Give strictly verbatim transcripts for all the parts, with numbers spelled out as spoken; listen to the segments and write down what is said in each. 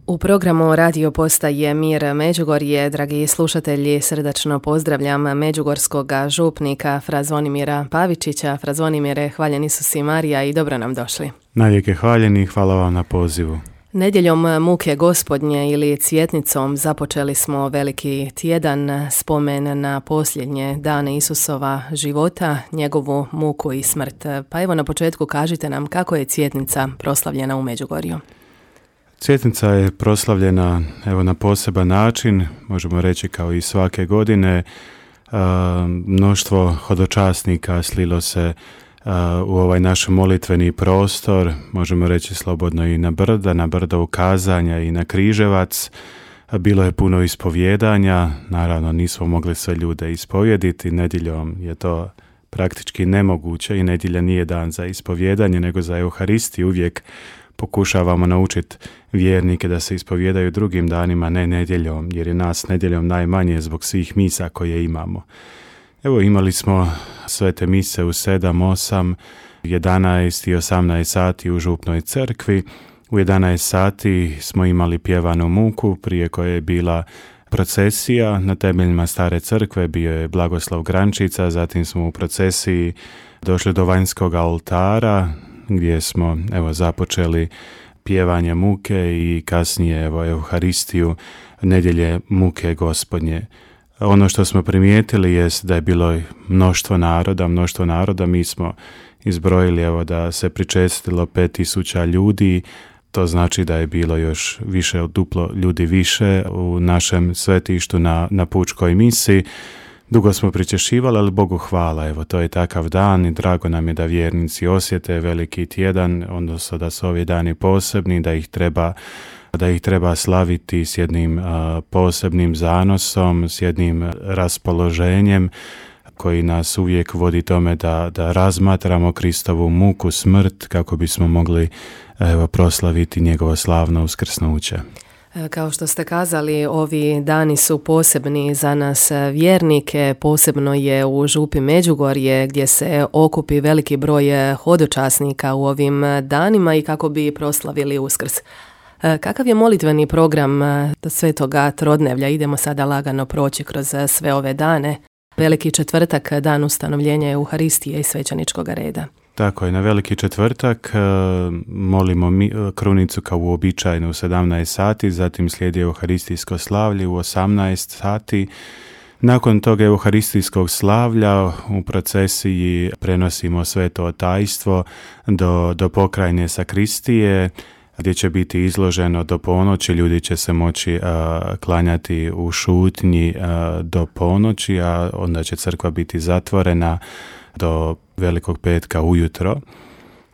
U programu Radio Postaje Mir Međugorje, dragi slušatelji, srdačno pozdravljam međugorskog župnika Fra Zvonimira Pavičića. Fra Zvonimire, hvaljen Isus i Marija i dobro nam došli. Najvijek hvaljeni i hvala vam na pozivu. Nedjeljom muke gospodnje ili cvjetnicom započeli smo veliki tjedan, spomen na posljednje dane Isusova života, njegovu muku i smrt. Pa evo na početku kažite nam kako je cvjetnica proslavljena u Međugorju. Cvjetnica je proslavljena evo na poseban način, možemo reći kao i svake godine. E, mnoštvo hodočasnika slilo se Uh, u ovaj naš molitveni prostor, možemo reći slobodno i na brda, na brdo ukazanja i na križevac. Bilo je puno ispovjedanja, naravno nismo mogli sve ljude ispovjediti, nedjeljom je to praktički nemoguće i nedjelja nije dan za ispovjedanje, nego za Euharistiju. Uvijek pokušavamo naučiti vjernike da se ispovjedaju drugim danima, ne nedjeljom, jer je nas nedjeljom najmanje zbog svih misa koje imamo. Evo imali smo svete mise u sedam, osam, jedanaest i osamnaest sati u župnoj crkvi. U jedanaest sati smo imali pjevanu muku, prije koje je bila procesija. Na temeljima stare crkve bio je blagoslov Grančica, zatim smo u procesiji došli do vanjskog oltara gdje smo evo započeli pjevanje muke i kasnije evo Euharistiju nedjelje muke gospodnje. Ono što smo primijetili jest da je bilo mnoštvo naroda, mnoštvo naroda, mi smo izbrojili evo da se pričestilo pet tisuća ljudi, to znači da je bilo još više od duplo ljudi više u našem svetištu na, na pučkoj misi. Dugo smo pričešivali, ali Bogu hvala, evo to je takav dan i drago nam je da vjernici osjete veliki tjedan, odnosno da su ovi dani posebni, da ih treba da ih treba slaviti s jednim a, posebnim zanosom, s jednim raspoloženjem koji nas uvijek vodi tome da, da razmatramo Kristovu muku, smrt, kako bismo mogli evo, proslaviti njegovo slavno uskrsnuće. Kao što ste kazali, ovi dani su posebni za nas vjernike, posebno je u župi Međugorje gdje se okupi veliki broj hodočasnika u ovim danima i kako bi proslavili Uskrs. Kakav je molitveni program Svetoga Trodnevlja? Idemo sada lagano proći kroz sve ove dane. Veliki četvrtak, dan ustanovljenja Euharistije i svećeničkog reda. Tako je, na veliki četvrtak molimo mi, krunicu kao uobičajeno u sedamnaest sati, zatim slijedi Euharistijsko slavlje u osamnaest sati. Nakon toga Euharistijskog slavlja u procesiji prenosimo sveto tajstvo do, do pokrajne sakristije, gdje će biti izloženo do ponoći, ljudi će se moći a, klanjati u šutnji a, do ponoći, a onda će crkva biti zatvorena do Velikog petka ujutro.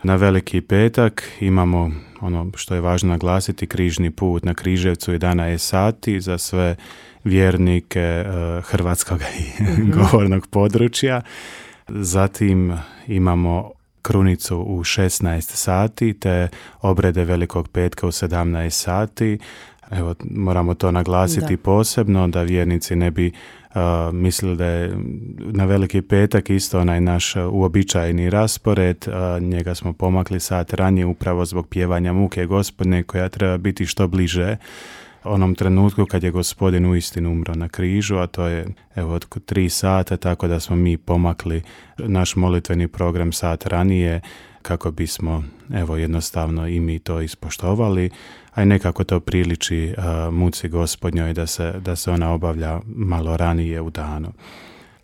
Na Veliki petak imamo ono što je važno naglasiti, križni put na Križevcu jedanaest sati za sve vjernike a, hrvatskog i mm-hmm. govornog područja. Zatim imamo krunicu u šesnaest sati te obrede Velikog petka u sedamnaest sati. Evo, moramo to naglasiti da. posebno da vjernici ne bi uh, mislili da je na Veliki petak isto onaj naš uobičajeni raspored. Uh, njega smo pomakli sat ranije upravo zbog pjevanja muke gospodne koja treba biti što bliže onom trenutku kad je gospodin uistinu umro na križu, a to je evo od tri sata, tako da smo mi pomakli naš molitveni program sat ranije kako bismo evo jednostavno i mi to ispoštovali, a i nekako to priliči uh, muci gospodnjoj da se, da se ona obavlja malo ranije u danu.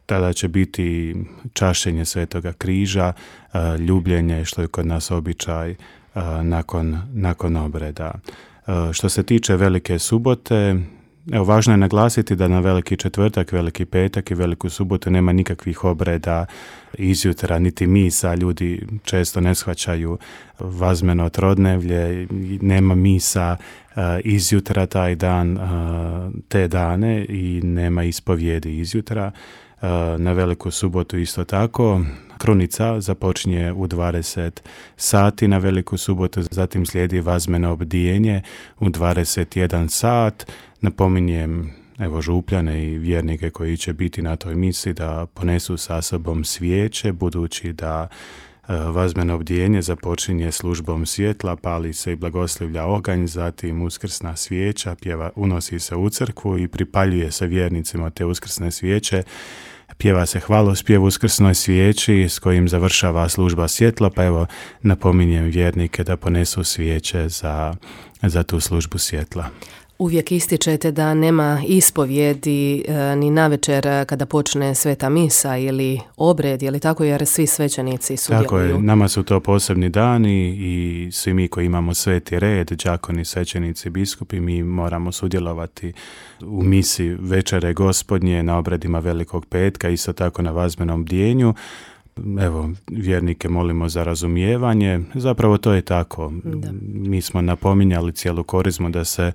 Tada će biti čašenje Svetoga križa, uh, ljubljenje, što je kod nas običaj uh, nakon, nakon obreda. Što se tiče Velike subote, evo, važno je naglasiti da na Veliki četvrtak, Veliki petak i Veliku subotu nema nikakvih obreda izjutra, niti misa. Ljudi često ne shvaćaju vazmeno trodnevlje, nema misa uh, izjutra taj dan, uh, te dane i nema ispovjedi izjutra. Uh, na Veliku subotu isto tako. Krunica započinje u dvadeset sati na Veliku subotu, zatim slijedi vazmeno obdijenje u dvadeset jedan sat. Napominjem evo župljane i vjernike koji će biti na toj misi da ponesu sa sobom svijeće, budući da Vazmeno bdjenje započinje službom svjetla, pali se i blagoslivlja oganj, zatim uskrsna svijeća, pjeva, unosi se u crkvu i pripaljuje se vjernicima te uskrsne svijeće. Pjeva se hvalospjev uskrsnoj svijeći s kojim završava služba svjetla, pa evo napominjem vjernike da ponesu svijeće za, za tu službu svjetla. Uvijek ističete da nema ispovjedi e, ni navečer kada počne sveta misa ili obred, je li tako, jer svi svećenici sudjeluju? Tako je, nama su to posebni dani i svi mi koji imamo sveti red, đakoni, svećenici, biskupi, mi moramo sudjelovati u misi večere Gospodnje, na obredima Velikog petka, isto tako na vazmenom bdjenju. Evo, vjernike molimo za razumijevanje, zapravo to je tako. Da. Mi smo napominjali cijelu korizmu da se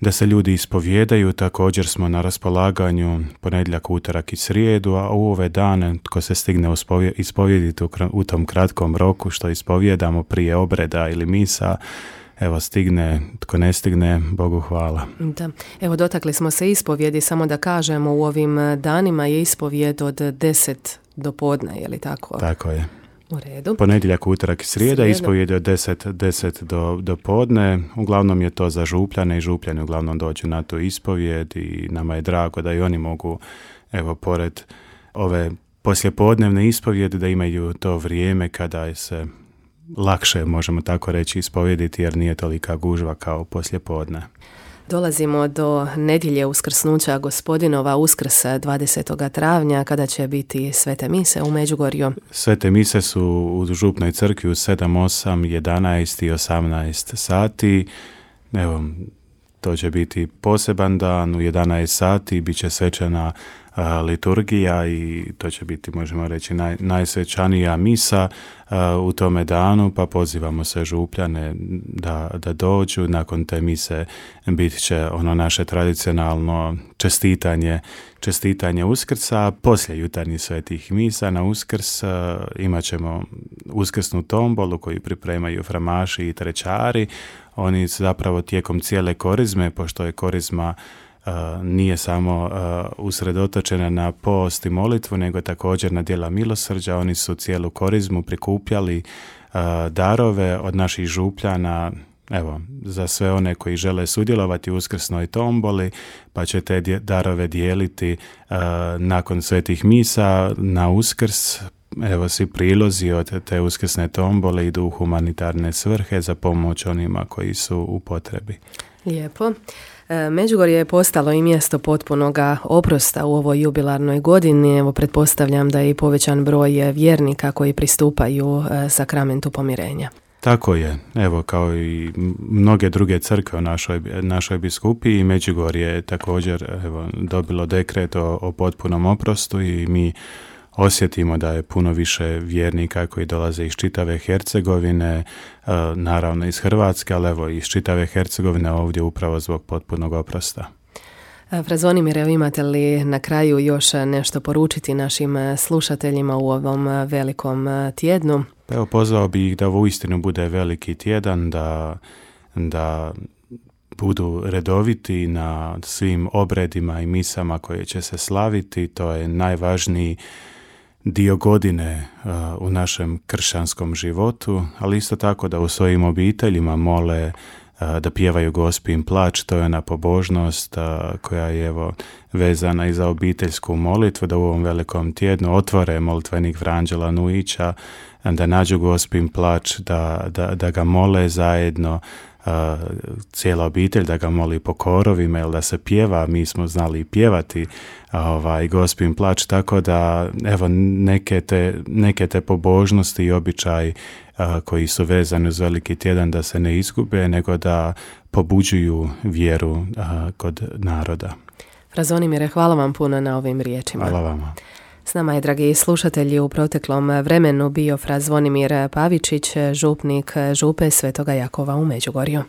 da se ljudi ispovjedaju, također smo na raspolaganju ponedjeljak, utorak i srijedu, a u ove dane tko se stigne ispovjediti u tom kratkom roku što ispovjedamo prije obreda ili misa, evo stigne, tko ne stigne, Bogu hvala. Da. Evo dotakli smo se ispovjedi, samo da kažemo u ovim danima je ispovjed od deset do podne, je li tako? Tako je. U redu. Ponedjeljak, utorak i srijeda, ispovjed od deset, deset do, do podne. Uglavnom je to za župljane i župljani uglavnom dođu na tu ispovjed i nama je drago da i oni mogu, evo, pored ove poslijepodnevne ispovjede, da imaju to vrijeme kada se lakše, možemo tako reći, ispovjediti jer nije tolika gužva kao poslijepodne. Dolazimo do nedjelje uskrsnuća Gospodinova, Uskrsa dvadesetog travnja, kada će biti svete mise u Međugorju. Svete mise su u župnoj crkvi u sedam, osam, jedanaest i osamnaest sati. Evo, to će biti poseban dan, u jedanaest sati bit će svečana a, liturgija i to će biti, možemo reći, naj, najsvečanija misa a, u tome danu, pa pozivamo se župljane da, da dođu. Nakon te mise bit će ono naše tradicionalno čestitanje, čestitanje Uskrsa. Poslije jutarnjih svetih misa na Uskrs a, imat ćemo uskrsnu tombolu koju pripremaju framaši i trećari. Oni zapravo tijekom cijele korizme, pošto je korizma uh, nije samo uh, usredotočena na post i molitvu, nego također na djela milosrđa, oni su cijelu korizmu prikupljali uh, darove od naših župljana, evo, za sve one koji žele sudjelovati u uskrsnoj tomboli, pa će te darove dijeliti uh, nakon svetih misa na Uskrs. Evo, svi prilozi od te uskrsne tombole idu u humanitarne svrhe za pomoć onima koji su u potrebi. Lijepo. Međugorje je postalo i mjesto potpunoga oprosta u ovoj jubilarnoj godini. Evo, pretpostavljam da je i povećan broj vjernika koji pristupaju sakramentu pomirenja. Tako je. Evo, kao i mnoge druge crkve u našoj, našoj biskupiji, Međugorje je također evo, dobilo dekret o, o potpunom oprostu i mi osjetimo da je puno više vjernika koji dolaze iz čitave Hercegovine, naravno iz Hrvatske, ali evo iz čitave Hercegovine ovdje upravo zbog potpunog oprosta. Fra Zvonimire, imate li na kraju još nešto poručiti našim slušateljima u ovom velikom tjednu? Evo, pozvao bih ih da uistinu bude veliki tjedan, da, da budu redoviti na svim obredima i misama koje će se slaviti. To je najvažniji dio godine uh, u našem kršćanskom životu, ali isto tako da u svojim obiteljima mole uh, da pjevaju Gospin plač, to je ona pobožnost uh, koja je evo vezana i za obiteljsku molitvu, da u ovom velikom tjednu otvore molitvenik Vranđela Nujića, da nađu Gospin plač, da, da, da ga mole zajedno, Uh, cijela obitelj, da ga moli po korovima ili da se pjeva. Mi smo znali pjevati ovaj, Gospin plač, tako da evo neke te, neke te pobožnosti i običaji uh, koji su vezani uz veliki tjedan da se ne izgube, nego da pobuđuju vjeru uh, kod naroda. Fra Zvonimire, hvala vam puno na ovim riječima. Hvala vama. S nama je, dragi slušatelji, u proteklom vremenu bio fra Zvonimir Pavičić, župnik župe Svetoga Jakova u Međugorju.